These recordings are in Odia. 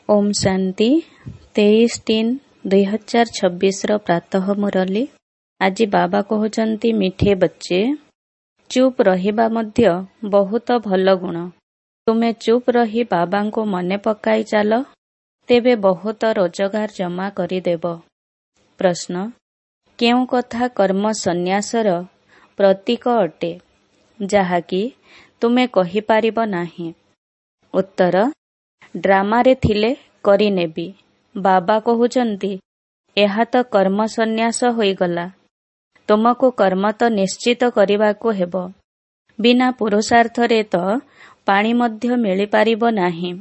ଓମ୍ ଶାନ୍ତି। 23/3/2026ର ପ୍ରାତଃ ମୁରଲୀ। ଆଜି ବାବା କହୁଛନ୍ତି, ମିଠେ ବଚ୍ଚେ, ଚୁପ୍ ରହିବା ମଧ୍ୟ ବହୁତ ଭଲ ଗୁଣ। ତୁମେ ଚୁପ୍ ରହି ବାବାଙ୍କୁ ମନେ ପକାଇ ଚାଲ, ତେବେ ବହୁତ ରୋଜଗାର ଜମା କରିଦେବ। ପ୍ରଶ୍ନ, କେଉଁ କଥା କର୍ମ ସନ୍ନ୍ୟାସର ପ୍ରତୀକ ଅଟେ, ଯାହାକି ତୁମେ କହିପାରିବ ନାହିଁ? ଉତ୍ତର, ଡ୍ରାମାରେ ଥିଲେ କରିନେବି। ବାବା କହୁଛନ୍ତି, ଏହା ତ କର୍ମ ସନ୍ନ୍ୟାସ ହୋଇଗଲା। ତୁମକୁ କର୍ମ ତ ନିଶ୍ଚିତ କରିବାକୁ ହେବ। ବିନା ପୁରୁଷାର୍ଥରେ ତ ପାଣି ମଧ୍ୟ ମିଳିପାରିବ ନାହିଁ।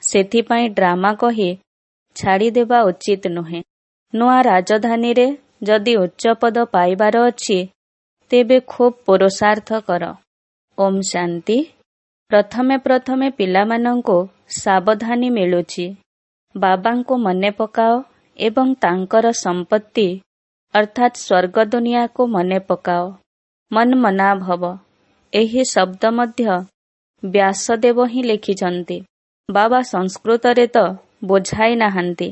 ସେଥିପାଇଁ ଡ୍ରାମା କହି ଛାଡ଼ିଦେବା ଉଚିତ ନୁହେଁ। ନୂଆ ରାଜଧାନୀରେ ଯଦି ଉଚ୍ଚ ପଦ ପାଇବାର ଅଛି, ତେବେ ଖୁବ୍ ପୁରୁଷାର୍ଥ କର। ଓମ୍ ଶାନ୍ତି। ପ୍ରଥମେ ପ୍ରଥମେ ପିଲାମାନଙ୍କୁ ସାବଧାନୀ ମିଳୁଛି, ବାବାଙ୍କୁ ମନେ ପକାଅ ଏବଂ ତାଙ୍କର ସମ୍ପତ୍ତି ଅର୍ଥାତ୍ ସ୍ୱର୍ଗ ଦୁନିଆକୁ ମନେ ପକାଅ। ମନମନାଭବ, ଏହି ଶବ୍ଦ ମଧ୍ୟ ବ୍ୟାସଦେବ ହିଁ ଲେଖିଛନ୍ତି। ବାବା ସଂସ୍କୃତରେ ତ ବୁଝାଇ ନାହାନ୍ତି,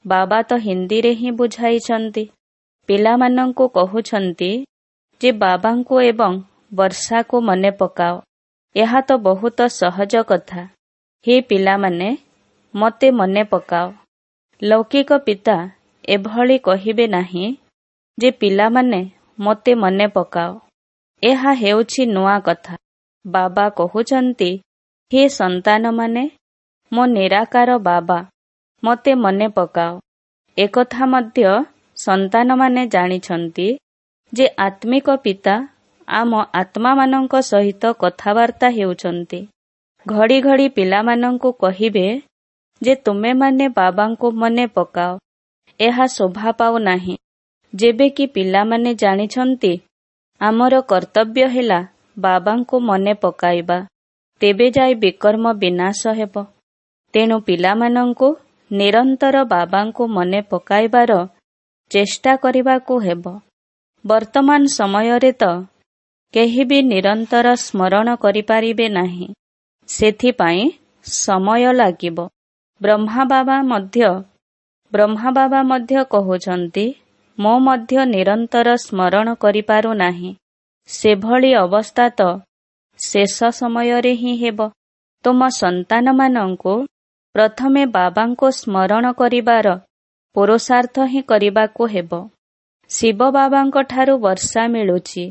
ବାବା ତ ହିନ୍ଦୀରେ ହିଁ ବୁଝାଇଛନ୍ତି। ପିଲାମାନଙ୍କୁ କହୁଛନ୍ତି ଯେ ବାବାଙ୍କୁ ଏବଂ ବର୍ଷାକୁ ମନେ ପକାଅ। ଏହା ତ ବହୁତ ସହଜ କଥା। ହେ ପିଲାମାନେ, ମୋତେ ମନେ ପକାଅ। ଲୌକିକ ପିତା ଏଭଳି କହିବେ ନାହିଁ ଯେ ପିଲାମାନେ ମୋତେ ମନେ ପକାଅ। ଏହା ହେଉଛି ନୂଆ କଥା। ବାବା କହୁଛନ୍ତି, ହେ ସନ୍ତାନମାନେ, ମୋ ନିରାକାର ବାବା, ମୋତେ ମନେ ପକାଅ। ଏକଥା ମଧ୍ୟ ସନ୍ତାନମାନେ ଜାଣିଛନ୍ତି ଯେ ଆତ୍ମିକ ପିତା ଆମ ଆତ୍ମାମାନଙ୍କ ସହିତ କଥାବାର୍ତ୍ତା ହେଉଛନ୍ତି। ଘଡ଼ି ଘଡ଼ି ପିଲାମାନଙ୍କୁ କହିବେ ଯେ ତୁମେମାନେ ବାବାଙ୍କୁ ମନେ ପକାଅ, ଏହା ଶୋଭା ପାଉନାହିଁ। ଯେବେ କି ପିଲାମାନେ ଜାଣିଛନ୍ତି ଆମର କର୍ତ୍ତବ୍ୟ ହେଲା ବାବାଙ୍କୁ ମନେ ପକାଇବା, ତେବେ ଯାଇ ବିକର୍ମ ବିନାଶ ହେବ। ତେଣୁ ପିଲାମାନଙ୍କୁ ନିରନ୍ତର ବାବାଙ୍କୁ ମନେ ପକାଇବାର ଚେଷ୍ଟା କରିବାକୁ ହେବ। ବର୍ତ୍ତମାନ ସମୟରେ ତ କେହି ବି ନିରନ୍ତର ସ୍ମରଣ କରିପାରିବେ ନାହିଁ, ସେଥିପାଇଁ ସମୟ ଲାଗିବ। ବ୍ରହ୍ମା ବାବା ମଧ୍ୟ କହୁଛନ୍ତି, ମୁଁ ମଧ୍ୟ ନିରନ୍ତର ସ୍ମରଣ କରିପାରୁନାହିଁ। ସେଭଳି ଅବସ୍ଥା ତ ଶେଷ ସମୟରେ ହିଁ ହେବ। ତୁମ ସନ୍ତାନମାନଙ୍କୁ ପ୍ରଥମେ ବାବାଙ୍କୁ ସ୍ମରଣ କରିବାର ପୁରୁଷାର୍ଥ ହିଁ କରିବାକୁ ହେବ। ଶିବ ବାବାଙ୍କ ଠାରୁ ବର୍ଷା ମିଳୁଛି,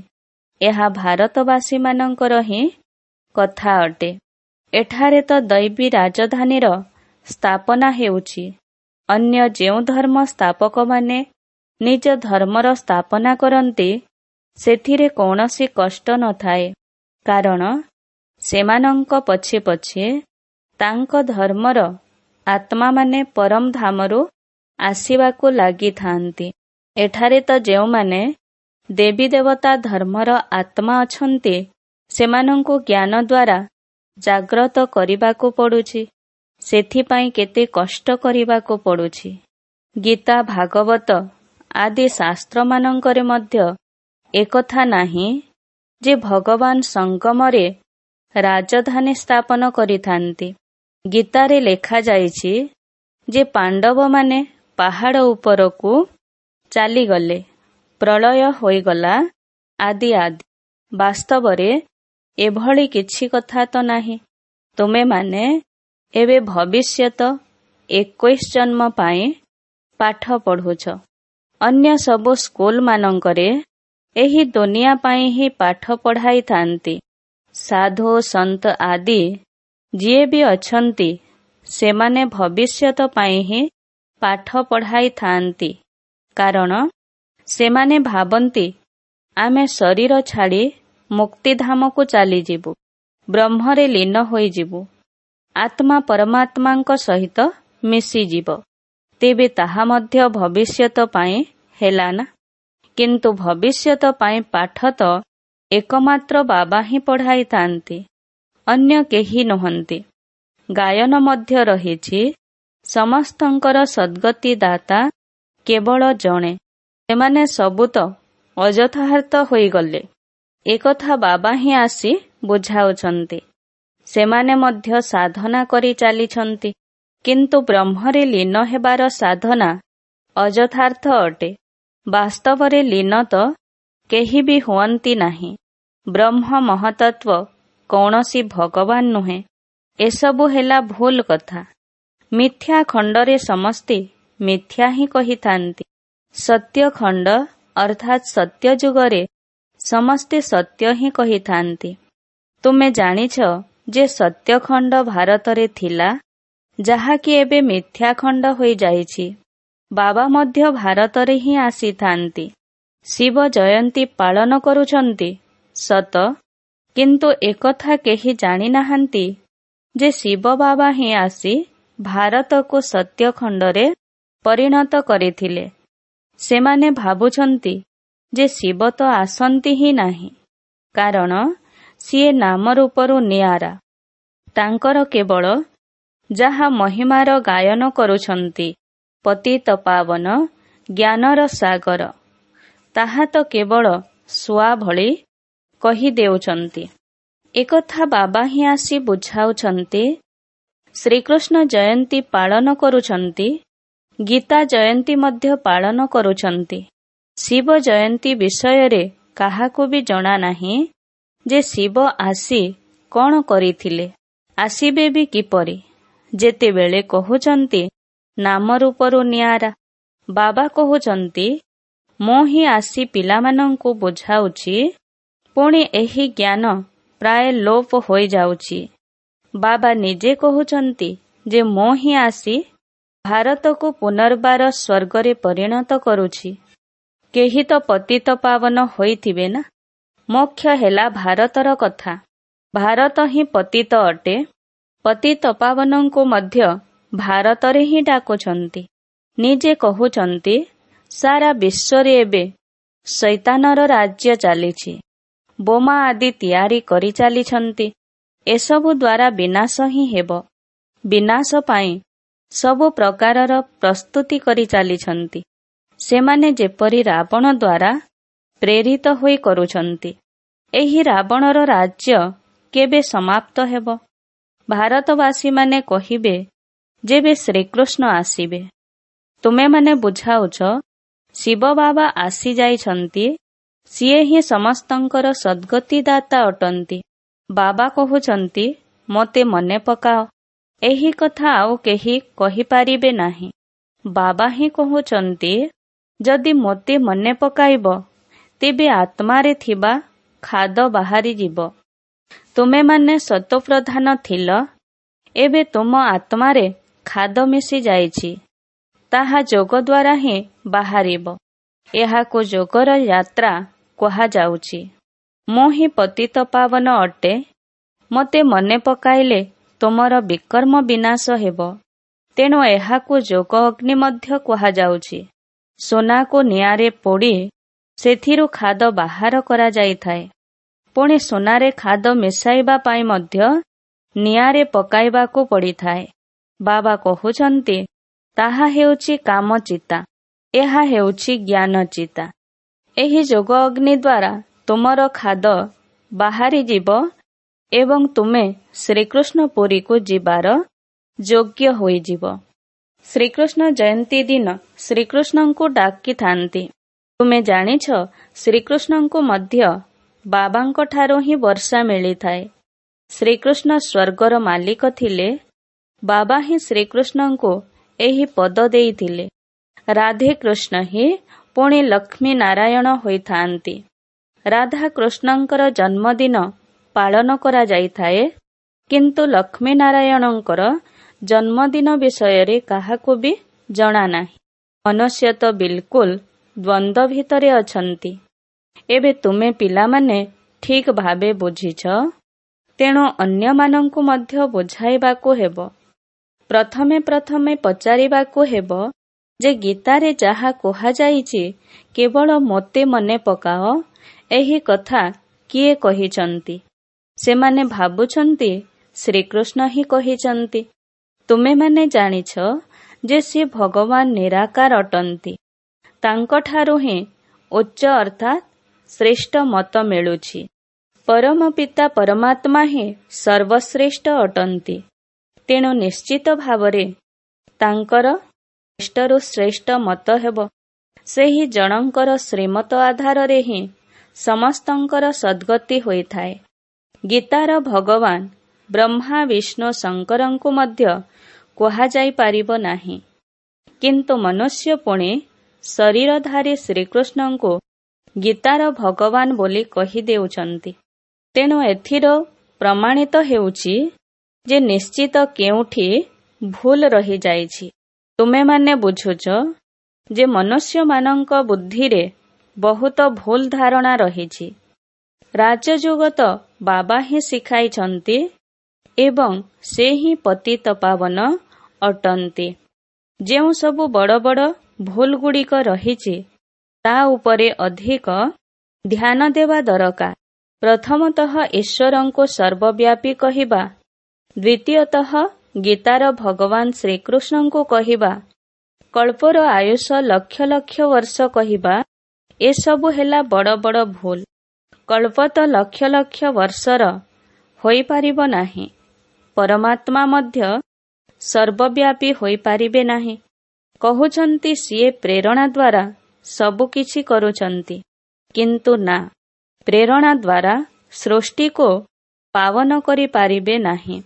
ଏହା ଭାରତବାସୀମାନଙ୍କର ହିଁ କଥା ଅଟେ। ଏଠାରେ ତ ଦୈବୀ ରାଜଧାନୀର ସ୍ଥାପନା ହେଉଛି। ଅନ୍ୟ ଯେଉଁ ଧର୍ମ ସ୍ଥାପକମାନେ ନିଜ ଧର୍ମର ସ୍ଥାପନା କରନ୍ତି, ସେଥିରେ କୌଣସି କଷ୍ଟ ନଥାଏ, କାରଣ ସେମାନଙ୍କ ପଛେ ପଛେ ତାଙ୍କ ଧର୍ମର ଆତ୍ମାମାନେ ପରମଧାମରୁ ଆସିବାକୁ ଲାଗିଥାନ୍ତି। ଏଠାରେ ତ ଯେଉଁମାନେ ଦେବୀ ଦେବତା ଧର୍ମର ଆତ୍ମା ଅଛନ୍ତି, ସେମାନଙ୍କୁ ଜ୍ଞାନ ଦ୍ୱାରା ଜାଗ୍ରତ କରିବାକୁ ପଡୁଛି। ସେଥିପାଇଁ କେତେ କଷ୍ଟ କରିବାକୁ ପଡୁଛି। ଗୀତା, ଭାଗବତ ଆଦି ଶାସ୍ତ୍ରମାନଙ୍କରେ ମଧ୍ୟ ଏକଥା ନାହିଁ ଯେ ଭଗବାନ ସଙ୍ଗମରେ ରାଜଧାନୀ ସ୍ଥାପନ କରିଥାନ୍ତି। ଗୀତାରେ ଲେଖାଯାଇଛି ଯେ ପାଣ୍ଡବମାନେ ପାହାଡ଼ ଉପରକୁ ଚାଲିଗଲେ, ପ୍ରଳୟ ହୋଇଗଲା ଆଦି ଆଦି। ବାସ୍ତବରେ ଏଭଳି କିଛି କଥା ତ ନାହିଁ। ତୁମେମାନେ ଏବେ ଭବିଷ୍ୟତ 21 ଜନ୍ମ ପାଇଁ ପାଠ ପଢୁଛ। ଅନ୍ୟ ସବୁ ସ୍କୁଲମାନଙ୍କରେ ଏହି ଦୁନିଆ ପାଇଁ ହିଁ ପାଠ ପଢ଼ାଇଥାନ୍ତି। ସାଧୁ ସନ୍ଥ ଆଦି ଯିଏ ବି ଅଛନ୍ତି, ସେମାନେ ଭବିଷ୍ୟତ ପାଇଁ ହିଁ ପାଠ ପଢ଼ାଇଥାନ୍ତି, କାରଣ ସେମାନେ ଭାବନ୍ତି ଆମେ ଶରୀର ଛାଡ଼ି ମୁକ୍ତିଧାମକୁ ଚାଲିଯିବୁ, ବ୍ରହ୍ମରେ ଲୀନ ହୋଇଯିବୁ, ଆତ୍ମା ପରମାତ୍ମାଙ୍କ ସହିତ ମିଶିଯିବ। ତେବେ ତାହା ମଧ୍ୟ ଭବିଷ୍ୟତ ପାଇଁ ହେଲା ନା? କିନ୍ତୁ ଭବିଷ୍ୟତ ପାଇଁ ପାଠ ତ ଏକମାତ୍ର ବାବା ହିଁ ପଢ଼ାଇଥାନ୍ତି, ଅନ୍ୟ କେହି ନୁହନ୍ତି। ଗାୟନ ମଧ୍ୟ ରହିଛି, ସମସ୍ତଙ୍କର ସଦ୍ଗତି ଦାତା କେବଳ ଜଣେ। ସେମାନେ ସବୁ ତ ଅଯଥାର୍ଥ ହୋଇଗଲେ। ଏକଥା ବାବା ହିଁ ଆସି ବୁଝାଉଛନ୍ତି। ସେମାନେ ମଧ୍ୟ ସାଧନା କରି ଚାଲିଛନ୍ତି। କିନ୍ତୁ ବ୍ରହ୍ମରେ ଲୀନ ହେବାର ସାଧନା ଅଯଥାର୍ଥ ଅଟେ। ବାସ୍ତବରେ ଲୀନ ତ କେହି ବି ହୁଅନ୍ତି ନାହିଁ। ବ୍ରହ୍ମ ମହତତ୍ଵ କୌଣସି ଭଗବାନ ନୁହେଁ। ଏସବୁ ହେଲା ଭୁଲ କଥା। ମିଥ୍ୟା ଖଣ୍ଡରେ ସମସ୍ତେ ମିଥ୍ୟା ହିଁ କହିଥାନ୍ତି। ସତ୍ୟ ଖଣ୍ଡ ଅର୍ଥାତ୍ ସତ୍ୟ ଯୁଗରେ ସମସ୍ତେ ସତ୍ୟ ହିଁ କହିଥାନ୍ତି। ତୁମେ ଜାଣିଛ ଯେ ସତ୍ୟଖଣ୍ଡ ଭାରତରେ ଥିଲା, ଯାହାକି ଏବେ ମିଥ୍ୟାଖଣ୍ଡ ହୋଇଯାଇଛି। ବାବା ମଧ୍ୟ ଭାରତରେ ହିଁ ଆସିଥାନ୍ତି। ଶିବ ଜୟନ୍ତୀ ପାଳନ କରୁଛନ୍ତି ସତ, କିନ୍ତୁ ଏକଥା କେହି ଜାଣିନାହାନ୍ତି ଯେ ଶିବ ବାବା ହିଁ ଆସି ଭାରତକୁ ସତ୍ୟଖଣ୍ଡରେ ପରିଣତ କରିଥିଲେ। ସେମାନେ ଭାବୁଛନ୍ତି ଯେ ଶିବ ତ ଆସନ୍ତି ହିଁ ନାହିଁ, କାରଣ ସିଏ ନାମ ରୂପରୁ ନିଆରା। ତାଙ୍କର କେବଳ ଯାହା ମହିମାର ଗାୟନ କରୁଛନ୍ତି, ପତିତ ପାବନ ଜ୍ଞାନର ସାଗର, ତାହା ତ କେବଳ ଶୁଆ ଭଳି କହିଦେଉଛନ୍ତି। ଏକଥା ବାବା ହିଁ ଆସି ବୁଝାଉଛନ୍ତି। ଶ୍ରୀକୃଷ୍ଣ ଜୟନ୍ତୀ ପାଳନ କରୁଛନ୍ତି, ଗୀତା ଜୟନ୍ତୀ ମଧ୍ୟ ପାଳନ କରୁଛନ୍ତି। ଶିବ ଜୟନ୍ତୀ ବିଷୟରେ କାହାକୁ ବି ଜଣା ନାହିଁ ଯେ ଶିବ ଆସି କଣ କରିଥିଲେ, ଆସିବେ ବି କିପରି। ଯେତେବେଳେ କହୁଛନ୍ତି ନାମ ରୂପରୁ ନିଆରା, ବାବା କହୁଛନ୍ତି ମୁଁ ହିଁ ଆସି ପିଲାମାନଙ୍କୁ ବୁଝାଉଛି। ପୁଣି ଏହି ଜ୍ଞାନ ପ୍ରାୟ ଲୋପ ହୋଇଯାଉଛି। ବାବା ନିଜେ କହୁଛନ୍ତି ଯେ ମୁଁ ହିଁ ଆସି ଭାରତକୁ ପୁନର୍ବାର ସ୍ୱର୍ଗରେ ପରିଣତ କରୁଛି। କେହି ତ ପତିତ ପାବନ ହୋଇଥିବେ ନା। ମୋକ୍ଷ ହେଲା ଭାରତର କଥା। ଭାରତ ହିଁ ପତିତ ଅଟେ। ପତିତ ପାବନଙ୍କୁ ମଧ୍ୟ ଭାରତରେ ହିଁ ଡାକୁଛନ୍ତି। ନିଜେ କହୁଛନ୍ତି ସାରା ବିଶ୍ୱରେ ଏବେ ଶୈତାନର ରାଜ୍ୟ ଚାଲିଛି। ବୋମା ଆଦି ତିଆରି କରି ଚାଲିଛନ୍ତି। ଏସବୁ ଦ୍ୱାରା ବିନାଶ ହିଁ ହେବ। ବିନାଶ ପାଇଁ ସବୁ ପ୍ରକାରର ପ୍ରସ୍ତୁତି କରି ଚାଲିଛନ୍ତି। ସେମାନେ ଯେପରି ରାବଣ ଦ୍ୱାରା ପ୍ରେରିତ ହୋଇ କରୁଛନ୍ତି। ଏହି ରାବଣର ରାଜ୍ୟ କେବେ ସମାପ୍ତ ହେବ? ଭାରତବାସୀମାନେ କହିବେ ଯେବେ ଶ୍ରୀକୃଷ୍ଣ ଆସିବେ। ତୁମେମାନେ ବୁଝାଉଛ ଶିବ ବାବା ଆସିଯାଇଛନ୍ତି, ସିଏ ହିଁ ସମସ୍ତଙ୍କର ସଦ୍ଗତିଦାତା ଅଟନ୍ତି। ବାବା କହୁଛନ୍ତି ମୋତେ ମନେ ପକାଅ। ଏହି କଥା ଆଉ କେହି କହିପାରିବେ ନାହିଁ। ବାବା ହିଁ କହୁଛନ୍ତି ଯଦି ମୋତେ ମନେ ପକାଇବ ତେବେ ଆତ୍ମାରେ ଥିବା ଖାଦ ବାହାରିଯିବ। ତୁମେମାନେ ସତୋପ୍ରଧାନ ଥିଲ, ଏବେ ତୁମ ଆତ୍ମାରେ ଖାଦ ମିଶି ଯାଇଛି। ତାହା ଯୋଗ ଦ୍ୱାରା ହିଁ ବାହାରିବ। ଏହାକୁ ଯୋଗର ଯାତ୍ରା କୁହାଯାଉଛି। ମୁଁ ହିଁ ପତିତ ପାବନ ଅଟେ। ମୋତେ ମନେ ପକାଇଲେ ତୁମର ବିକର୍ମ ବିନାଶ ହେବ। ତେଣୁ ଏହାକୁ ଯୋଗ ଅଗ୍ନି ମଧ୍ୟ କୁହାଯାଉଛି। ସୁନାକୁ ନିଆଁରେ ପୋଡ଼ି ସେଥିରୁ ଖାଦ ବାହାର କରାଯାଇଥାଏ। ପୁଣି ସୁନାରେ ଖାଦ ମିଶାଇବା ପାଇଁ ମଧ୍ୟ ନିଆଁରେ ପକାଇବାକୁ ପଡ଼ିଥାଏ। ବାବା କହୁଛନ୍ତି ତାହା ହେଉଛି କାମଚିତା, ଏହା ହେଉଛି ଜ୍ଞାନଚିତା। ଏହି ଯୋଗ ଅଗ୍ନି ଦ୍ୱାରା ତୁମର ଖାଦ ବାହାରିଯିବ ଏବଂ ତୁମେ ଶ୍ରୀକୃଷ୍ଣ ପୁରୀକୁ ଯିବାର ଯୋଗ୍ୟ ହୋଇଯିବ। ଶ୍ରୀକୃଷ୍ଣ ଜୟନ୍ତୀ ଦିନ ଶ୍ରୀକୃଷ୍ଣଙ୍କୁ ଡାକିଥାନ୍ତି। ତୁମେ ଜାଣିଛ ଶ୍ରୀକୃଷ୍ଣଙ୍କୁ ମଧ୍ୟ ବାବାଙ୍କଠାରୁ ହିଁ ବର୍ଷା ମିଳିଥାଏ। ଶ୍ରୀକୃଷ୍ଣ ସ୍ୱର୍ଗର ମାଲିକ ଥିଲେ। ବାବା ହିଁ ଶ୍ରୀକୃଷ୍ଣଙ୍କୁ ଏହି ପଦ ଦେଇଥିଲେ। ରାଧେ କୃଷ୍ଣ ହିଁ ପୁଣି ଲକ୍ଷ୍ମୀ ନାରାୟଣ ହୋଇଥାନ୍ତି। ରାଧା କୃଷ୍ଣଙ୍କର ଜନ୍ମଦିନ ପାଳନ କରାଯାଇଥାଏ, କିନ୍ତୁ ଲକ୍ଷ୍ମୀ ନାରାୟଣଙ୍କର ଜନ୍ମଦିନ ବିଷୟରେ କାହାକୁ ବି ଜଣା ନାହିଁ। ମନୁଷ୍ୟ ତ ବିଲକୁଲ ଦ୍ୱନ୍ଦ୍ୱ ଭିତରେ ଅଛନ୍ତି। ଏବେ ତୁମେ ପିଲାମାନେ ଠିକ ଭାବେ ବୁଝିଛ, ତେଣୁ ଅନ୍ୟମାନଙ୍କୁ ମଧ୍ୟ ବୁଝାଇବାକୁ ହେବ। ପ୍ରଥମେ ପ୍ରଥମେ ପଚାରିବାକୁ ହେବ ଯେ ଗୀତାରେ ଯାହା କୁହାଯାଇଛି କେବଳ ମୋତେ ମନେ ପକାଅ, ଏହି କଥା କିଏ କହିଛନ୍ତି? ସେମାନେ ଭାବୁଛନ୍ତି ଶ୍ରୀକୃଷ୍ଣ ହିଁ କହିଛନ୍ତି। ତୁମେମାନେ ଜାଣିଛ ଯେ ସେ ଭଗବାନ ନିରାକାର ଅଟନ୍ତି। ତାଙ୍କଠାରୁ ହିଁ ଉଚ୍ଚ ଅର୍ଥାତ୍ ଶ୍ରେଷ୍ଠ ମତ ମିଳୁଛି। ପରମ ପିତା ପରମାତ୍ମା ହିଁ ସର୍ବଶ୍ରେଷ୍ଠ ଅଟନ୍ତି। ତେଣୁ ନିଶ୍ଚିତ ଭାବରେ ତାଙ୍କର ଶ୍ରେଷ୍ଠରୁ ଶ୍ରେଷ୍ଠ ମତ ହେବ। ସେହି ଜଣଙ୍କର ଶ୍ରୀମତ ଆଧାରରେ ହିଁ ସମସ୍ତଙ୍କର ସଦ୍ଗତି ହୋଇଥାଏ। ଗୀତାର ଭଗବାନ ବ୍ରହ୍ମା, ବିଷ୍ଣୁ, ଶଙ୍କରଙ୍କୁ ମଧ୍ୟ କୁହାଯାଇପାରିବ ନାହିଁ। କିନ୍ତୁ ମନୁଷ୍ୟ ପୁଣି ଶରୀରଧାରୀ ଶ୍ରୀକୃଷ୍ଣଙ୍କୁ ଗୀତାର ଭଗବାନ ବୋଲି କହିଦେଉଛନ୍ତି। ତେଣୁ ଏଥିର ପ୍ରମାଣିତ ହେଉଛି ଯେ ନିଶ୍ଚିତ କେଉଁଠି ଭୁଲ ରହିଯାଇଛି। ତୁମେମାନେ ବୁଝୁଛ ଯେ ମନୁଷ୍ୟମାନଙ୍କ ବୁଦ୍ଧିରେ ବହୁତ ଭୁଲ ଧାରଣା ରହିଛି। ରାଜଯୋଗ ତ ବାବା ହିଁ ଶିଖାଇଛନ୍ତି ଏବଂ ସେ ହିଁ ପତିତ ପାବନ ଅଟନ୍ତି। ଯେଉଁ ସବୁ ବଡ଼ ବଡ଼ ଭୁଲଗୁଡ଼ିକ ରହିଛି, ତା ଉପରେ ଅଧିକ ଧ୍ୟାନ ଦେବା ଦରକାର। ପ୍ରଥମତଃ ଈଶ୍ୱରଙ୍କୁ ସର୍ବବ୍ୟାପୀ କହିବା, ଦ୍ୱିତୀୟତଃ ଗୀତାର ଭଗବାନ ଶ୍ରୀକୃଷ୍ଣଙ୍କୁ କହିବା, କଳ୍ପର ଆୟୁଷ ଲକ୍ଷ ଲକ୍ଷ ବର୍ଷ କହିବା, ଏସବୁ ହେଲା ବଡ଼ ବଡ଼ ଭୁଲ। କଳ୍ପ ତ ଲକ୍ଷ ଲକ୍ଷ ବର୍ଷର ହୋଇପାରିବ ନାହିଁ। ପରମାତ୍ମା ମଧ୍ୟ ସର୍ବବ୍ୟାପୀ ହୋଇପାରିବେ ନାହିଁ। କହୁଛନ୍ତି ସିଏ ପ୍ରେରଣା ଦ୍ୱାରା ସବୁକିଛି କରୁଛନ୍ତି, କିନ୍ତୁ ନା, ପ୍ରେରଣା ଦ୍ୱାରା ସୃଷ୍ଟିକୁ ପାବନ କରିପାରିବେ ନାହିଁ।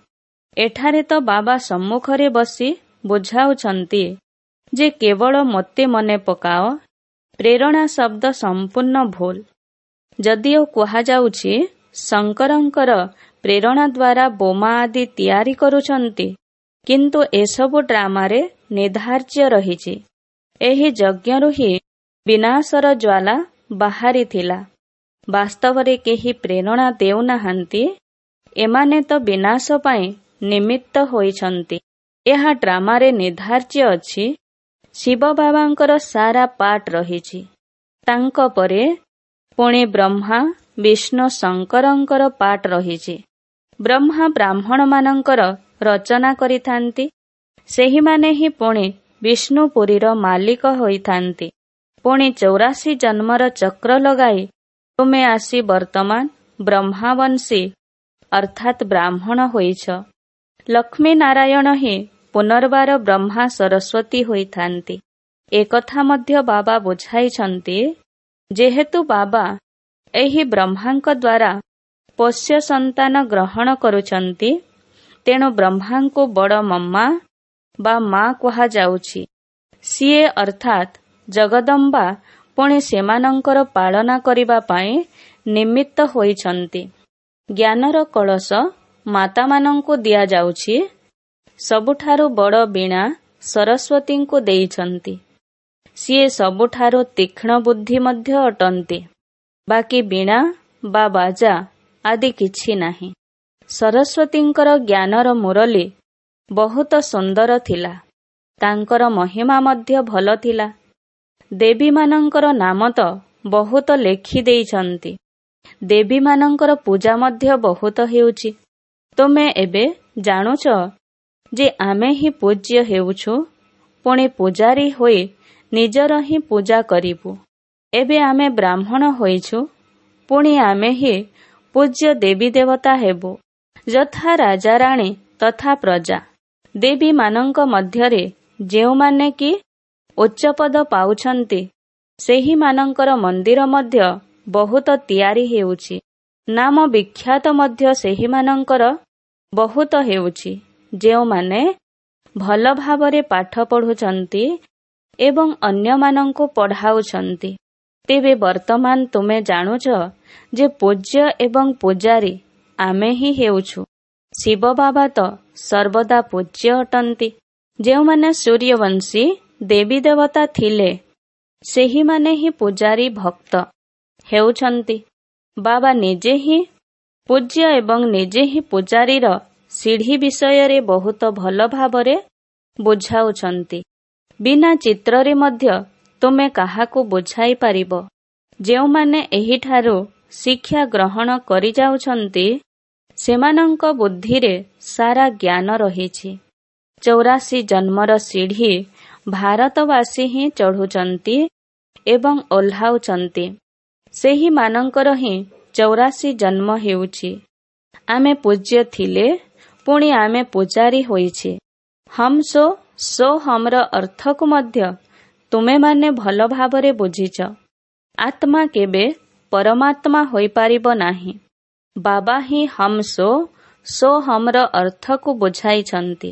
ଏଠାରେ ତ ବାବା ସମ୍ମୁଖରେ ବସି ବୁଝାଉଛନ୍ତି ଯେ କେବଳ ମୋତେ ମନେ ପକାଅ। ପ୍ରେରଣା ଶବ୍ଦ ସମ୍ପୂର୍ଣ୍ଣ ଭୁଲ। ଯଦିଓ କୁହାଯାଉଛି ଶଙ୍କରଙ୍କର ପ୍ରେରଣା ଦ୍ୱାରା ବୋମା ଆଦି ତିଆରି କରୁଛନ୍ତି, କିନ୍ତୁ ଏସବୁ ଡ୍ରାମାରେ ନିର୍ଦ୍ଧାର୍ଯ୍ୟ ରହିଛି। ଏହି ଯଜ୍ଞରୁ ହିଁ ବିନାଶର ଜ୍ୱାଲା ବାହାରିଥିଲା। ବାସ୍ତବରେ କେହି ପ୍ରେରଣା ଦେଉନାହାନ୍ତି। ଏମାନେ ତ ବିନାଶ ପାଇଁ ନିମିତ୍ତ ହୋଇଛନ୍ତି। ଏହା ଡ୍ରାମାରେ ନିର୍ଦ୍ଧାର୍ଯ୍ୟ ଅଛି। ଶିବ ବାବାଙ୍କର ସାରା ପାଠ ରହିଛି। ତାଙ୍କ ପରେ ପୁଣି ବ୍ରହ୍ମା, ବିଷ୍ଣୁ, ଶଙ୍କରଙ୍କର ପାଠ ରହିଛି। ବ୍ରହ୍ମା ବ୍ରାହ୍ମଣମାନଙ୍କର ରଚନା କରିଥାନ୍ତି। ସେହିମାନେ ହିଁ ପୁଣି ବିଷ୍ଣୁପୁରୀର ମାଲିକ ହୋଇଥାନ୍ତି। ପୁଣି 84 ଜନ୍ମର ଚକ୍ର ଲଗାଇ ତୁମେ ଆସି ବର୍ତ୍ତମାନ ବ୍ରହ୍ମାବଂଶୀ ଅର୍ଥାତ୍ ବ୍ରାହ୍ମଣ ହୋଇଛ। ଲକ୍ଷ୍ମୀ ନାରାୟଣ ହିଁ ପୁନର୍ବାର ବ୍ରହ୍ମା ସରସ୍ୱତୀ ହୋଇଥାନ୍ତି। ଏକଥା ମଧ୍ୟ ବାବା ବୁଝାଇଛନ୍ତି। ଯେହେତୁ ବାବା ଏହି ବ୍ରହ୍ମାଙ୍କ ଦ୍ୱାରା ପୋଷ୍ୟ ସନ୍ତାନ ଗ୍ରହଣ କରୁଛନ୍ତି, ତେଣୁ ବ୍ରହ୍ମାଙ୍କୁ ବଡ଼ ମମ୍ମା ବା ମା କୁହାଯାଉଛି। ସିଏ ଅର୍ଥାତ୍ ଜଗଦମ୍ବା ପୁଣି ସେମାନଙ୍କର ପାଳନା କରିବା ପାଇଁ ନିମିତ୍ତ ହୋଇଛନ୍ତି। ଜ୍ଞାନର କଳସ ମାତାମାନଙ୍କୁ ଦିଆଯାଉଛି। ସବୁଠାରୁ ବଡ଼ ବୀଣା ସରସ୍ୱତୀଙ୍କୁ ଦେଇଛନ୍ତି। ସିଏ ସବୁଠାରୁ ତୀକ୍ଷ୍ଣ ବୁଦ୍ଧି ମଧ୍ୟ ଅଟନ୍ତି। ବାକି ବୀଣା ବା ବାଜା ଆଦି କିଛି ନାହିଁ। ସରସ୍ୱତୀଙ୍କର ଜ୍ଞାନର ମୁରଲୀ ବହୁତ ସୁନ୍ଦର ଥିଲା। ତାଙ୍କର ମହିମା ମଧ୍ୟ ଭଲ ଥିଲା। ଦେବୀମାନଙ୍କର ନାମ ତ ବହୁତ ଲେଖି ଦେଇଛନ୍ତି। ଦେବୀମାନଙ୍କର ପୂଜା ମଧ୍ୟ ବହୁତ ହେଉଛି। ତୁମେ ଏବେ ଜାଣୁଛ ଯେ ଆମେ ହିଁ ପୂଜ୍ୟ ହେଉଛୁ, ପୁଣି ପୂଜାରୀ ହୋଇ ନିଜର ହିଁ ପୂଜା କରିବୁ। ଏବେ ଆମେ ବ୍ରାହ୍ମଣ ହୋଇଛୁ, ପୁଣି ଆମେ ହିଁ ପୂଜ୍ୟ ଦେବୀ ଦେବତା ହେବୁ। ଯଥା ରାଜାରାଣୀ ତଥା ପ୍ରଜା। ଦେବୀମାନଙ୍କ ମଧ୍ୟରେ ଯେଉଁମାନେ କି ଉଚ୍ଚ ପଦ ପାଉଛନ୍ତି, ସେହିମାନଙ୍କର ମନ୍ଦିର ମଧ୍ୟ ବହୁତ ତିଆରି ହେଉଛି। ନାମ ବିଖ୍ୟାତ ମଧ୍ୟ ସେହିମାନଙ୍କର ବହୁତ ହେଉଛି, ଯେଉଁମାନେ ଭଲ ଭାବରେ ପାଠ ପଢୁଛନ୍ତି ଏବଂ ଅନ୍ୟମାନଙ୍କୁ ପଢ଼ାଉଛନ୍ତି। ତେବେ ବର୍ତ୍ତମାନ ତୁମେ ଜାଣୁଛ ଯେ ପୂଜ୍ୟ ଏବଂ ପୂଜାରୀ ଆମେ ହିଁ ହେଉଛୁ। ଶିବ ବାବା ତ ସର୍ବଦା ପୂଜ୍ୟ ଅଟନ୍ତି। ଯେଉଁମାନେ ସୂର୍ଯ୍ୟବଂଶୀ ଦେବୀ ଦେବତା ଥିଲେ, ସେହିମାନେ ହିଁ ପୂଜାରୀ ଭକ୍ତ ହେଉଛନ୍ତି। ବାବା ନିଜେ ହିଁ ପୂଜ୍ୟ ଏବଂ ନିଜେ ହିଁ ପୂଜାରୀର ସିଢ଼ି ବିଷୟରେ ବହୁତ ଭଲ ଭାବରେ ବୁଝାଉଛନ୍ତି। ବିନା ଚିତ୍ରରେ ମଧ୍ୟ ତୁମେ କାହାକୁ ବୁଝାଇ ପାରିବ। ଯେଉଁମାନେ ଏହିଠାରୁ ଶିକ୍ଷା ଗ୍ରହଣ କରିଯାଉଛନ୍ତି, ସେମାନଙ୍କ ବୁଦ୍ଧିରେ ସାରା ଜ୍ଞାନ ରହିଛି। 84 ଜନ୍ମର ସିଢ଼ି ଭାରତବାସୀ ହିଁ ଚଢ଼ୁଛନ୍ତି ଏବଂ ଓହ୍ଲାଉଛନ୍ତି। ସେହିମାନଙ୍କର ହିଁ 84 ଜନ୍ମ ହେଉଛି। ଆମେ ପୂଜ୍ୟ ଥିଲେ, ପୁଣି ଆମେ ପୂଜାରୀ ହୋଇଛେ। ହମ୍ ସୋ ସୋହମ୍ର ଅର୍ଥକୁ ମଧ୍ୟ ତୁମେମାନେ ଭଲ ଭାବରେ ବୁଝିଛ। ଆତ୍ମା କେବେ ପରମାତ୍ମା ହୋଇପାରିବ ନାହିଁ। ବାବା ହିଁ ହମ୍ ସୋ, ସୋହମ୍ର ଅର୍ଥକୁ ବୁଝାଇଛନ୍ତି।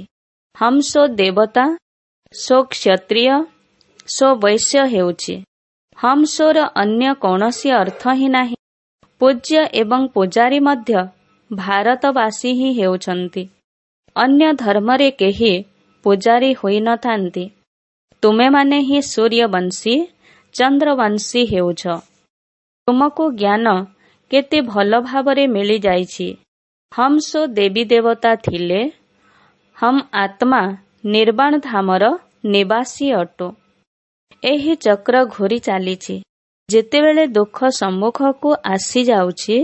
ହମ୍ ସୋ ଦେବତା, ସୋ କ୍ଷତ୍ରିୟ, ସୋ ବୈଶ୍ୟ ହେଉଛି। ହମ୍ ସୋର ଅନ୍ୟ କୌଣସି ଅର୍ଥ ହିଁ ନାହିଁ। ପୂଜ୍ୟ ଏବଂ ପୂଜାରୀ ମଧ୍ୟ ଭାରତବାସୀ ହିଁ ହେଉଛନ୍ତି। ଅନ୍ୟ ଧର୍ମରେ କେହି ପୂଜାରୀ ହୋଇନଥାନ୍ତି। ତୁମେମାନେ ହିଁ ସୂର୍ଯ୍ୟବଂଶୀ, ଚନ୍ଦ୍ରବଂଶୀ ହେଉଛ। ତୁମକୁ ଜ୍ଞାନ କେତେ ଭଲ ଭାବରେ ମିଳିଯାଇଛି। ହମ୍ ସୋ ଦେବୀ ଦେବତା ଥିଲେ, ହମ୍ ଆତ୍ମା ନିର୍ବାଣ ଧାମର ନିବାସୀ ଅଟୁ। ଏହି ଚକ୍ର ଘୂରି ଚାଲିଛି। ଯେତେବେଳେ ଦୁଃଖ ସମ୍ମୁଖକୁ ଆସିଯାଉଛି,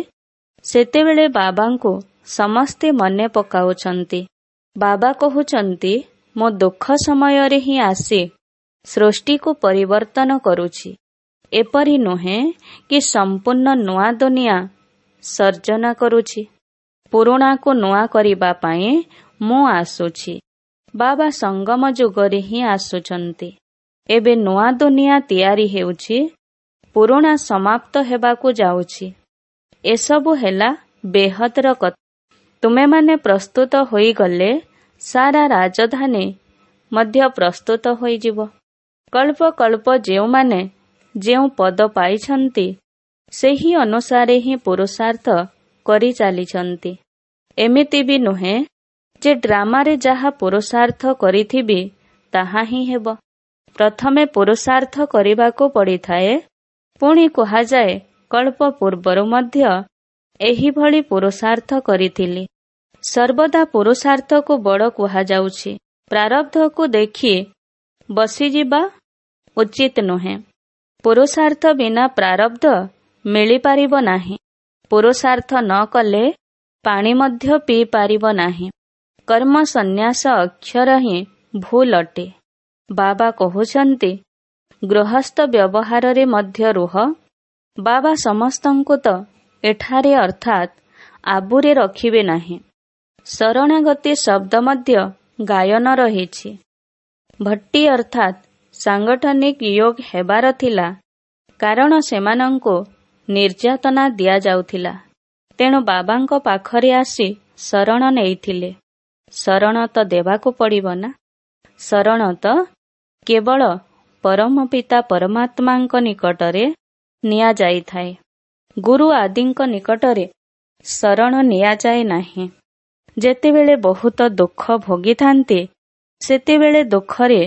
ସେତେବେଳେ ବାବାଙ୍କୁ ସମସ୍ତେ ମନେ ପକାଉଛନ୍ତି। ବାବା କହୁଛନ୍ତି, ମୁଁ ଦୁଃଖ ସମୟରେ ହିଁ ଆସି ସୃଷ୍ଟିକୁ ପରିବର୍ତ୍ତନ କରୁଛି। ଏପରି ନୁହେଁ କି ସମ୍ପୂର୍ଣ୍ଣ ନୂଆ ଦୁନିଆ ସର୍ଜନା କରୁଛି। ପୁରୁଣାକୁ ନୂଆ କରିବା ପାଇଁ ମୁଁ ଆସୁଛି। ବାବା ସଙ୍ଗମ ଯୁଗରେ ହିଁ ଆସୁଛନ୍ତି। ଏବେ ନୂଆ ଦୁନିଆ ତିଆରି ହେଉଛି, ପୁରୁଣା ସମାପ୍ତ ହେବାକୁ ଯାଉଛି। ଏସବୁ ହେଲା ବେହଦର କଥା। ତୁମେମାନେ ପ୍ରସ୍ତୁତ ହୋଇଗଲେ ସାରା ରାଜଧାନୀ ମଧ୍ୟ ପ୍ରସ୍ତୁତ ହୋଇଯିବ। କଳ୍ପ କଳ୍ପ ଯେଉଁମାନେ ଯେଉଁ ପଦ ପାଇଛନ୍ତି, ସେହି ଅନୁସାରେ ହିଁ ପୁରୁଷାର୍ଥ କରିଚାଲିଛନ୍ତି। ଏମିତି ବି ନୁହେଁ ଯେ ଡ୍ରାମାରେ ଯାହା ପୁରୁଷାର୍ଥ କରିଥିବି ତାହା ହିଁ ହେବ। ପ୍ରଥମେ ପୁରୁଷାର୍ଥ କରିବାକୁ ପଡ଼ିଥାଏ। ପୁଣି କୁହାଯାଏ, କଳ୍ପ ପୂର୍ବରୁ ମଧ୍ୟ ଏହିଭଳି ପୁରୁଷାର୍ଥ କରିଥିଲି। ସର୍ବଦା ପୁରୁଷାର୍ଥକୁ ବଡ଼ କୁହାଯାଉଛି। ପ୍ରାରବ୍ଧକୁ ଦେଖି ବସିଯିବା ଉଚିତ ନୁହେଁ। ପୁରୁଷାର୍ଥ ବିନା ପ୍ରାରବ୍ଧ ମିଳିପାରିବ ନାହିଁ। ପୁରୁଷାର୍ଥ ନ କଲେ ପାଣି ମଧ୍ୟ ପିଇପାରିବ ନାହିଁ। କର୍ମ ସନ୍ନ୍ୟାସ ଅକ୍ଷର ହିଁ ଭୁଲ ଅଟେ। ବାବା କହୁଛନ୍ତି, ଗୃହସ୍ଥ ବ୍ୟବହାରରେ ମଧ୍ୟ ରୁହ। ବାବା ସମସ୍ତଙ୍କୁ ତ ଏଠାରେ ଅର୍ଥାତ୍ ଆବୁରେ ରଖିବେ ନାହିଁ। ଶରଣାଗତି ଶବ୍ଦ ମଧ୍ୟ ଗାୟନ ରହିଛି। ଭଟ୍ଟି ଅର୍ଥାତ୍ ସାଙ୍ଗଠନିକ ୟୋଗ ହେବାର ଥିଲା, କାରଣ ସେମାନଙ୍କୁ ନିର୍ଯାତନା ଦିଆଯାଉଥିଲା। ତେଣୁ ବାବାଙ୍କ ପାଖରେ ଆସି ଶରଣ ନେଇଥିଲେ। ଶରଣ ତ ଦେବାକୁ ପଡ଼ିବ ନା। ଶରଣ ତ କେବଳ ପରମପିତା ପରମାତ୍ମାଙ୍କ ନିକଟରେ ନିଆଯାଇଥାଏ। ଗୁରୁ ଆଦିଙ୍କ ନିକଟରେ ଶରଣ ନିଆଯାଏ ନାହିଁ। ଯେତେବେଳେ ବହୁତ ଦୁଃଖ ଭୋଗିଥାନ୍ତି, ସେତେବେଳେ ଦୁଃଖରେ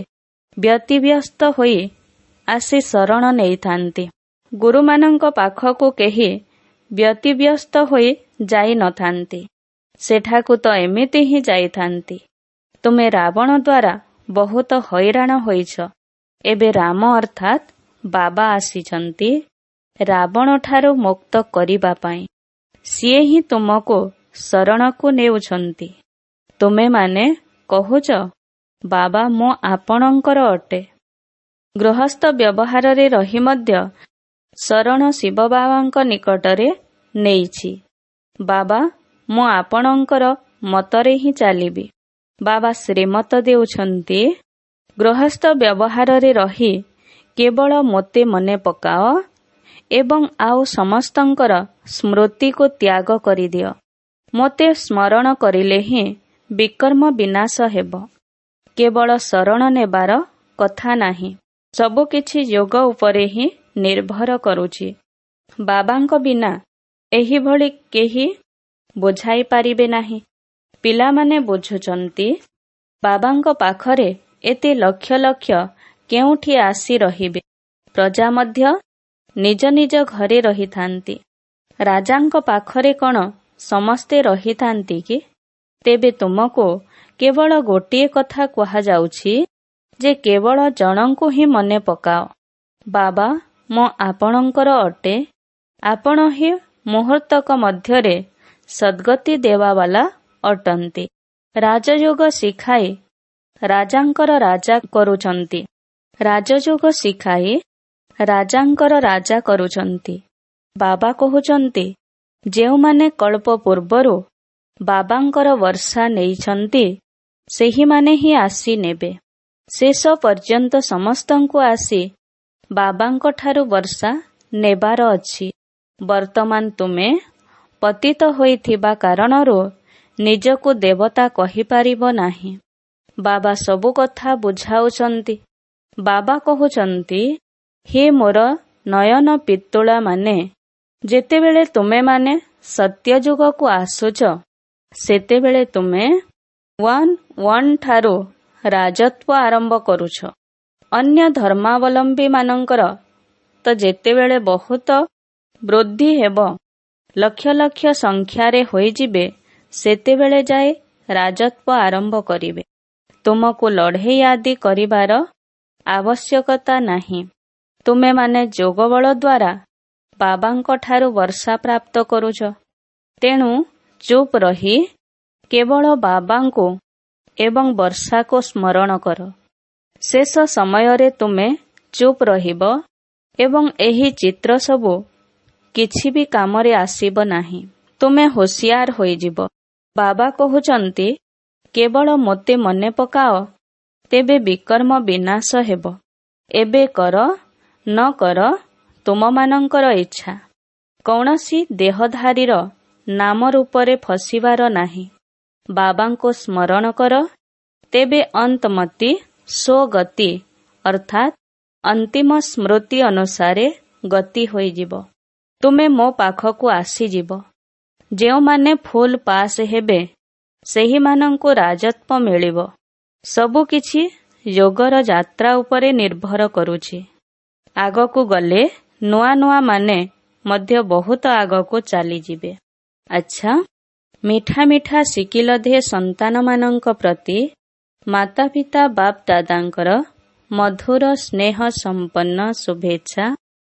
ବ୍ୟତିବ୍ୟସ୍ତ ହୋଇ ଆସି ଶରଣ ନେଇଥାନ୍ତି। ଗୁରୁମାନଙ୍କ ପାଖକୁ କେହି ବ୍ୟତିବ୍ୟସ୍ତ ହୋଇ ଯାଇନଥାନ୍ତି। ସେଠାକୁ ତ ଏମିତି ହିଁ ଯାଇଥାନ୍ତି। ତୁମେ ରାବଣ ଦ୍ୱାରା ବହୁତ ହଇରାଣ ହୋଇଛ। ଏବେ ରାମ ଅର୍ଥାତ୍ ବାବା ଆସିଛନ୍ତି ରାବଣଠାରୁ ମୁକ୍ତ କରିବା ପାଇଁ। ସିଏ ହିଁ ତୁମକୁ ଶରଣକୁ ନେଉଛନ୍ତି। ତୁମେମାନେ କହୁଛ, ବାବା ମୁଁ ଆପଣଙ୍କର ଅଟେ। ଗୃହସ୍ଥ ବ୍ୟବହାରରେ ରହି ମଧ୍ୟ ଶରଣ ଶିବ ବାବାଙ୍କ ନିକଟରେ ନେଇଛି। ବାବା, ମୁଁ ଆପଣଙ୍କର ମତରେ ହିଁ ଚାଲିବି। ବାବା ଶ୍ରୀମତ ଦେଉଛନ୍ତି, ଗୃହସ୍ଥ ବ୍ୟବହାରରେ ରହି କେବଳ ମୋତେ ମନେ ପକାଅ ଏବଂ ଆଉ ସମସ୍ତଙ୍କର ସ୍ମୃତିକୁ ତ୍ୟାଗ କରିଦିଅ। ମୋତେ ସ୍ମରଣ କରିଲେ ହିଁ ବିକର୍ମ ବିନାଶ ହେବ। କେବଳ ଶରଣ ନେବାର କଥା ନାହିଁ, ସବୁକିଛି ଯୋଗ ଉପରେ ହିଁ ନିର୍ଭର କରୁଛି। ବାବାଙ୍କ ବିନା ଏହିଭଳି କେହି ବୁଝାଇ ପାରିବେ ନାହିଁ। ପିଲାମାନେ ବୁଝୁଛନ୍ତି, ବାବାଙ୍କ ପାଖରେ ଏତେ ଲକ୍ଷ ଲକ୍ଷ କେଉଁଠି ଆସି ରହିବେ। ପ୍ରଜା ମଧ୍ୟ ନିଜ ନିଜ ଘରେ ରହିଥାନ୍ତି। ରାଜାଙ୍କ ପାଖରେ କ'ଣ ସମସ୍ତେ ରହିଥାନ୍ତି କି? ତେବେ ତୁମକୁ କେବଳ ଗୋଟିଏ କଥା କୁହାଯାଉଛି ଯେ କେବଳ ଜଣଙ୍କୁ ହିଁ ମନେ ପକାଅ। ବାବା, ମୁଁ ଆପଣଙ୍କର ଅଟେ। ଆପଣ ହିଁ ମୁହୂର୍ତ୍ତକ ମଧ୍ୟରେ ସଦ୍ଗତି ଦେବାବାଲା ଅଟନ୍ତି। ରାଜଯୋଗ ଶିଖାଇ ରାଜାଙ୍କର ରାଜା କରୁଛନ୍ତି। ରାଜଯୋଗ ଶିଖାଇ ରାଜାଙ୍କର ରାଜା କରୁଛନ୍ତି। ବାବା କହୁଛନ୍ତି, ଯେଉଁମାନେ କଳ୍ପ ପୂର୍ବରୁ ବାବାଙ୍କର ବର୍ଷା ନେଇଛନ୍ତି, ସେହିମାନେ ହିଁ ଆସି ନେବେ। ଶେଷ ପର୍ଯ୍ୟନ୍ତ ସମସ୍ତଙ୍କୁ ଆସି ବାବାଙ୍କଠାରୁ ବର୍ଷା ନେବାର ଅଛି। ବର୍ତ୍ତମାନ ତୁମେ ପତିତ ହୋଇଥିବା କାରଣରୁ ନିଜକୁ ଦେବତା କହିପାରିବ ନାହିଁ। ବାବା ସବୁ କଥା ବୁଝାଉଛନ୍ତି। ବାବା କହୁଛନ୍ତି, ହେ ମୋର ନୟନ ପିତୁଳାମାନେ, ଯେତେବେଳେ ତୁମେମାନେ ସତ୍ୟଯୁଗକୁ ଆସୁଛ, ସେତେବେଳେ ତୁମେ 1 1 ଠାରୁ ରାଜତ୍ୱ ଆରମ୍ଭ କରୁଛ। ଅନ୍ୟ ଧର୍ମାବଲମ୍ବୀମାନଙ୍କର ତ ଯେତେବେଳେ ବହୁତ ବୃଦ୍ଧି ହେବ, ଲକ୍ଷ ଲକ୍ଷ ସଂଖ୍ୟାରେ ହୋଇଯିବେ, ସେତେବେଳେ ଯାଇ ରାଜତ୍ୱ ଆରମ୍ଭ କରିବେ। ତୁମକୁ ଲଢ଼େଇ ଆଦି କରିବାର ଆବଶ୍ୟକତା ନାହିଁ। ତୁମେମାନେ ଯୋଗବଳ ଦ୍ୱାରା ବାବାଙ୍କଠାରୁ ବର୍ଷା ପ୍ରାପ୍ତ କରୁଛ। ତେଣୁ ଚୁପ୍ ରହି କେବଳ ବାବାଙ୍କୁ ଏବଂ ବର୍ଷାକୁ ସ୍ମରଣ କର। ଶେଷ ସମୟରେ ତୁମେ ଚୁପ୍ ରହିବ ଏବଂ ଏହି ଚିତ୍ର ସବୁ କିଛି ବି କାମରେ ଆସିବ ନାହିଁ। ତୁମେ ହୋସିଆର ହୋଇଯିବ। ବାବା କହୁଛନ୍ତି, କେବଳ ମୋତେ ମନେ ପକାଅ, ତେବେ ବିକର୍ମ ବିନାଶ ହେବ। ଏବେ କର ନ କର ତୁମମାନଙ୍କର ଇଚ୍ଛା। କୌଣସି ଦେହଧାରୀର ନାମ ରୂପରେ ଫସିବାର ନାହିଁ। ବାବାଙ୍କୁ ସ୍ମରଣ କର, ତେବେ ଅନ୍ତମତି ସ୍ୱଗତି ଅର୍ଥାତ୍ ଅନ୍ତିମ ସ୍ମୃତି ଅନୁସାରେ ଗତି ହୋଇଯିବ। ତୁମେ ମୋ ପାଖକୁ ଆସିଯିବ। ଯେଉଁମାନେ ଫୁଲ ପାସ୍ ହେବେ, ସେହିମାନଙ୍କୁ ରାଜତ୍ୱ ମିଳିବ। ସବୁକିଛି ଯୋଗର ଯାତ୍ରା ଉପରେ ନିର୍ଭର କରୁଛି। ଆଗକୁ ଗଲେ ନୂଆ ନୂଆ ମାନେ ମଧ୍ୟ ବହୁତ ଆଗକୁ ଚାଲିଯିବେ। ଆଚ୍ଛା, ମିଠା ମିଠା ସିକିଲଧେ ସନ୍ତାନମାନଙ୍କ ପ୍ରତି ମାତା ପିତା ବାପ ଦାଦାଙ୍କର ମଧୁର ସ୍ନେହ ସମ୍ପନ୍ନ ଶୁଭେଚ୍ଛା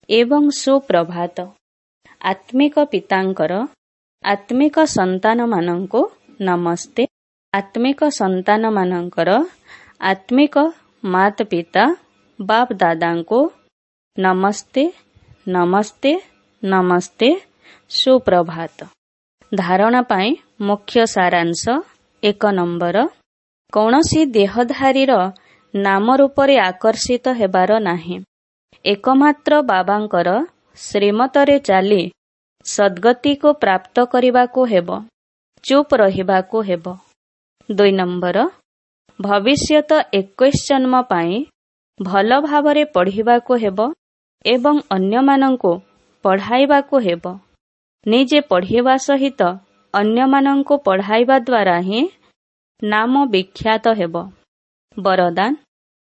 ଏବଂ ସୁପ୍ରଭାତ। ଆତ୍ମିକ ପିତାଙ୍କର ଆତ୍ମିକ ସନ୍ତାନମାନଙ୍କୁ ନମସ୍ତେ। ଆତ୍ମିକ ସନ୍ତାନମାନଙ୍କର ଆତ୍ମିକ ମାତା ପିତା ବାପ ଦାଦାଙ୍କୁ ନମସ୍ତେ, ନମସ୍ତେ, ନମସ୍ତେ, ସୁପ୍ରଭାତ। ଧାରଣା ପାଇଁ ମୁଖ୍ୟ ସାରାଂଶ। 1 ନମ୍ବର, କୌଣସି ଦେହଧାରୀର ନାମ ରୂପରେ ଆକର୍ଷିତ ହେବାର ନାହିଁ। ଏକମାତ୍ର ବାବାଙ୍କର ଶ୍ରୀମତରେ ଚାଲି ସଦ୍ଗତିକୁ ପ୍ରାପ୍ତ କରିବାକୁ ହେବ, ଚୁପ୍ ରହିବାକୁ ହେବ। 2 ନମ୍ବର, ଭବିଷ୍ୟତ 21 ଜନ୍ମ ପାଇଁ ଭଲ ଭାବରେ ପଢ଼ିବାକୁ ହେବ ଏବଂ ଅନ୍ୟମାନଙ୍କୁ ପଢ଼ାଇବାକୁ ହେବ। ନିଜେ ପଢ଼ିବା ସହିତ ଅନ୍ୟମାନଙ୍କୁ ପଢ଼ାଇବା ଦ୍ୱାରା ହିଁ ନାମ ବିଖ୍ୟାତ ହେବ। ବରଦାନ,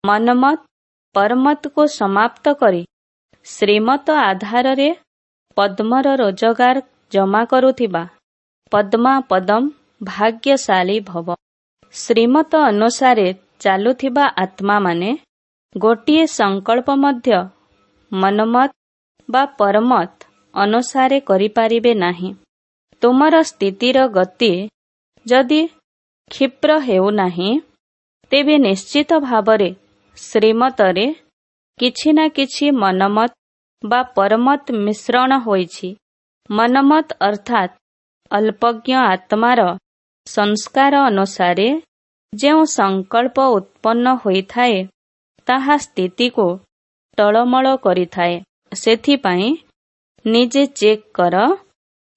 ମନମତ ପରମତକୁ ସମାପ୍ତ କରି ଶ୍ରୀମତ ଆଧାରରେ ପଦ୍ମର ରୋଜଗାର ଜମା କରୁଥିବା ପଦ୍ମା ପଦମ ଭାଗ୍ୟଶାଳୀ ଭବ। ଶ୍ରୀମତ ଅନୁସାରେ ଚାଲୁଥିବା ଆତ୍ମାମାନେ ଗୋଟିଏ ସଂକଳ୍ପ ମଧ୍ୟ ମନମତ ବା ପରମତ ଅନୁସାରେ କରିପାରିବେ ନାହିଁ। ତୁମର ସ୍ଥିତିର ଗତି ଯଦି କ୍ଷିପ୍ର ହେଉନାହିଁ, ତେବେ ନିଶ୍ଚିତ ଭାବରେ ଶ୍ରୀମତରେ କିଛି ନା କିଛି ମନମତ ବା ପରମତ ମିଶ୍ରଣ ହୋଇଛି। ମନମତ ଅର୍ଥାତ୍ ଅଳ୍ପଜ୍ଞ ଆତ୍ମାର ସଂସ୍କାର ଅନୁସାରେ ଯେଉଁ ସଂକଳ୍ପ ଉତ୍ପନ୍ନ ହୋଇଥାଏ, ତାହା ସ୍ଥିତିକୁ ଟଳମଳ କରିଥାଏ। ସେଥିପାଇଁ ନିଜେ ଚେକ୍ କର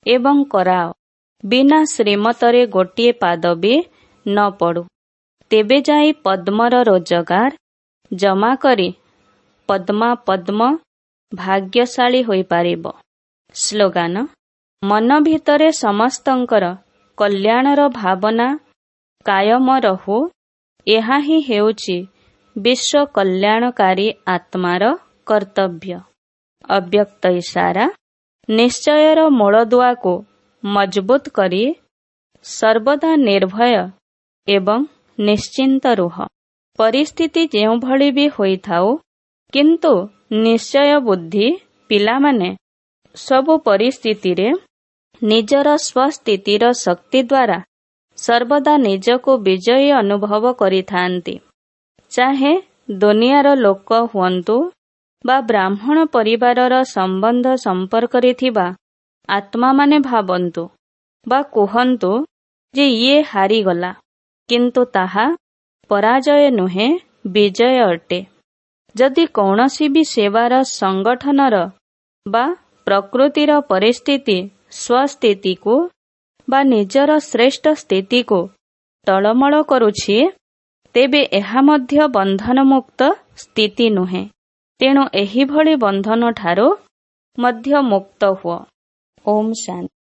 ଏବଂ କରାଅ। ବିନା ଶ୍ରୀମତରେ ଗୋଟିଏ ପାଦ ବି ନ ପଡୁ, ତେବେ ଯାଇ ପଦ୍ମର ରୋଜଗାର ଜମା କରି ପଦ୍ମା ପଦ୍ମ ଭାଗ୍ୟଶାଳୀ ହୋଇପାରିବ। ସ୍ଲୋଗାନ, ମନ ଭିତରେ ସମସ୍ତଙ୍କର କଲ୍ୟାଣର ଭାବନା କାୟମ ରହୁ, ଏହା ହିଁ ହେଉଛି ବିଶ୍ୱ କଲ୍ୟାଣକାରୀ ଆତ୍ମାର କର୍ତ୍ତବ୍ୟ। ଅବ୍ୟକ୍ତ ଇସାରା, ନିଶ୍ଚୟର ମୂଳଦୁଆକୁ ମଜବୁତ କରି ସର୍ବଦା ନିର୍ଭୟ ଏବଂ ନିଶ୍ଚିନ୍ତ ରୁହ। ପରିସ୍ଥିତି ଯେଉଁଭଳି ବି ହୋଇଥାଉ, କିନ୍ତୁ ନିଶ୍ଚୟ ବୁଦ୍ଧି ପିଲାମାନେ ସବୁ ପରିସ୍ଥିତିରେ ନିଜର ସ୍ୱସ୍ଥିତିର ଶକ୍ତି ଦ୍ୱାରା ସର୍ବଦା ନିଜକୁ ବିଜୟୀ ଅନୁଭବ କରିଥାନ୍ତି। ଚାହେ ଦୁନିଆର ଲୋକ ହୁଅନ୍ତୁ ବା ବ୍ରାହ୍ମଣ ପରିବାରର ସମ୍ବନ୍ଧ ସମ୍ପର୍କରେ ଥିବା ଆତ୍ମାମାନେ ଭାବନ୍ତୁ ବା କୁହନ୍ତୁ ଯେ ଇଏ ହାରିଗଲା, କିନ୍ତୁ ତାହା ପରାଜୟ ନୁହେଁ, ବିଜୟ ଅଟେ। ଯଦି କୌଣସି ବି ସେବାର ସଂଗଠନର ବା ପ୍ରକୃତିର ପରିସ୍ଥିତି ସ୍ୱସ୍ଥିତିକୁ ବା ନିଜର ଶ୍ରେଷ୍ଠ ସ୍ଥିତିକୁ ଟଳମଳ କରୁଛି, ତେବେ ଏହା ମଧ୍ୟ ବନ୍ଧନମୁକ୍ତ ସ୍ଥିତି ନୁହେଁ। ତେଣୁ ଏହିଭଳି ବନ୍ଧନଠାରୁ ମଧ୍ୟ ମୁକ୍ତ ହୁଅ। ଓମ୍ ଶାନ୍ତି।